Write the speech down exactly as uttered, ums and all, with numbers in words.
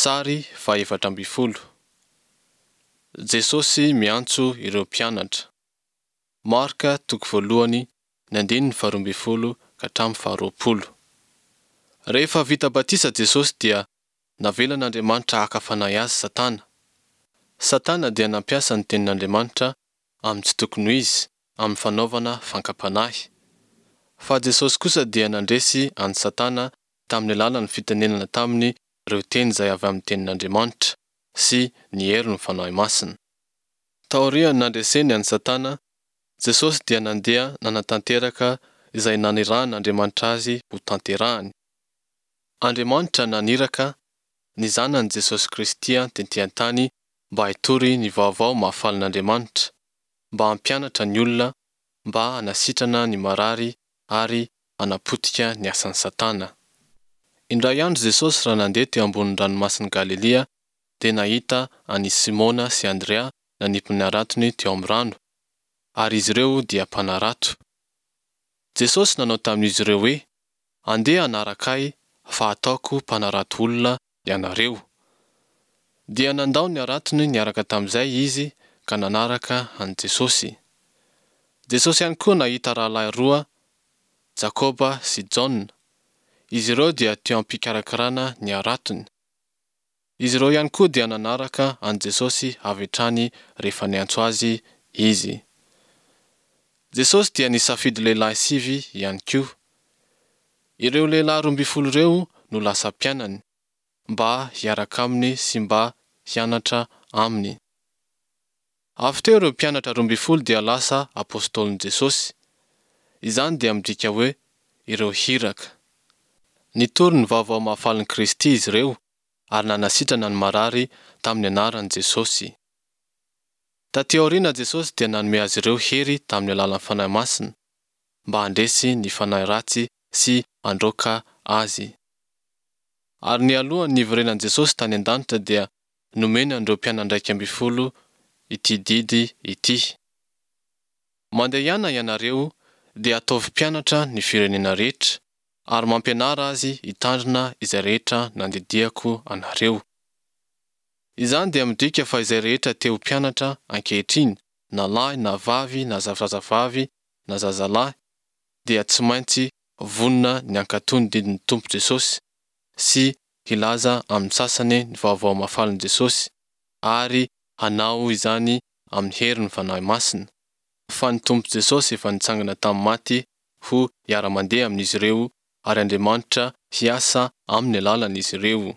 Sary fahefatra ambin'ny folo. Jesosy miantso ireo mpianatra. Marka toko voalohany ny andininy faharoa ambin'ny folo ka hatramin'ny faharoapolo. Rehefa vita batisa Jesosy dia navelan'Andriamanitra haka fanahy azy Satana. Satana dia nampiasa ny tenin'Andriamanitra amin'ny tsy tokony ho izy amin'ny fanaovana fankam-panahy. Fa Jesosy kosa dia nandresy an'i Satana tamin'ny alalan'ny fitenenana taminy ireo teny izay avy amin'ny tenin'Andriamanitra sy ny herin'ny Fanahy Masina. Taorian'ny nandreseny an'i Satana, Jesosy dia nandeha nanatanteraka izay nanirahan'Andriamanitra azy ho tanterahany. Andriamanitra naniraka ny Zanany Jesosy Kristy tety an-tany mba hitory ny vaovao mahafalin'Andriamanitra, mba hampianatra ny olona, mba hanasitrana ny marary ary hanapotika ny asan'i Satana. Indray andro Jesosy raha nandeha teo ambonin'ny ranomasin'i Galilia dia nahita an'i Simona sy Andrea nanipy ny haratony teo amin'ny rano, ary izy ireo dia mpanarato. Jesosy nanao tamin'izy ireo hoe, Andeha hanaraka Ahy fa hataoko mpanarato olona ianareo. Dia nandao ny haratony niaraka tamin'izay izy ka nanaraka an'i Jesosy. Jesosy ihany koa nahita rahalahy roa, Jakoba sy Jaona. Izy ireo dia teo am-pikarakarana ny haratony. Izy ireo ihany koa dia nanaraka an'i Jesosy avy hatrany rehefa niantso azy Izy. Jesosy dia nisafidy lehilahy sivy ihany koa. Ireo lehilahy roa ambin'ny folo ireo no lasa mpianany, mba hiaraka aminy sy mba hianatra aminy. Avy teo ireo mpianatra roa ambin'ny folo dia lasa apostolin'i Jesosy. Izany dia midika hoe ireo hiraka. Nitory ny vaovao mahafalin'i Kristy izy ireo ary nanasitrana ny marary tamin'ny anaran'i Jesosy. Taty aoriana Jesosy dia nanome azy ireo hery tamin'ny alalan'ny Fanahy Masina mba handresy ny fanahy ratsy sy handroaka azy. Ary nialohan'ny niverenan'i Jesosy tany an-danitra dia nomeny an'ireo mpianany iraika ambin'ny folo ity didy ity. Mandehana ianareo dia ataovy mpianatra ny firenena rehetra, ary mampianara azy hitandrina izay rehetra nandidiako anareo. Izany dia midika fa izay rehetra te ho mpianatra ankehitriny, na lahy na vavy na zazavavy na zazalahy, dia tsy maintsy vonona ny hankatò ny didin'ny Tompo Jesosy sy hilaza amin'ny sasany ny vaovao mahafalin'i Jesosy ary hanao izany amin'ny herin'ny Fanahy Masina, fa ny Tompo Jesosy efa nitsangana tamin'ny maty ho hiara-mandeha amin'izy ireo ary Andriamanitra hiasa amin'ny alalan'izy ireo.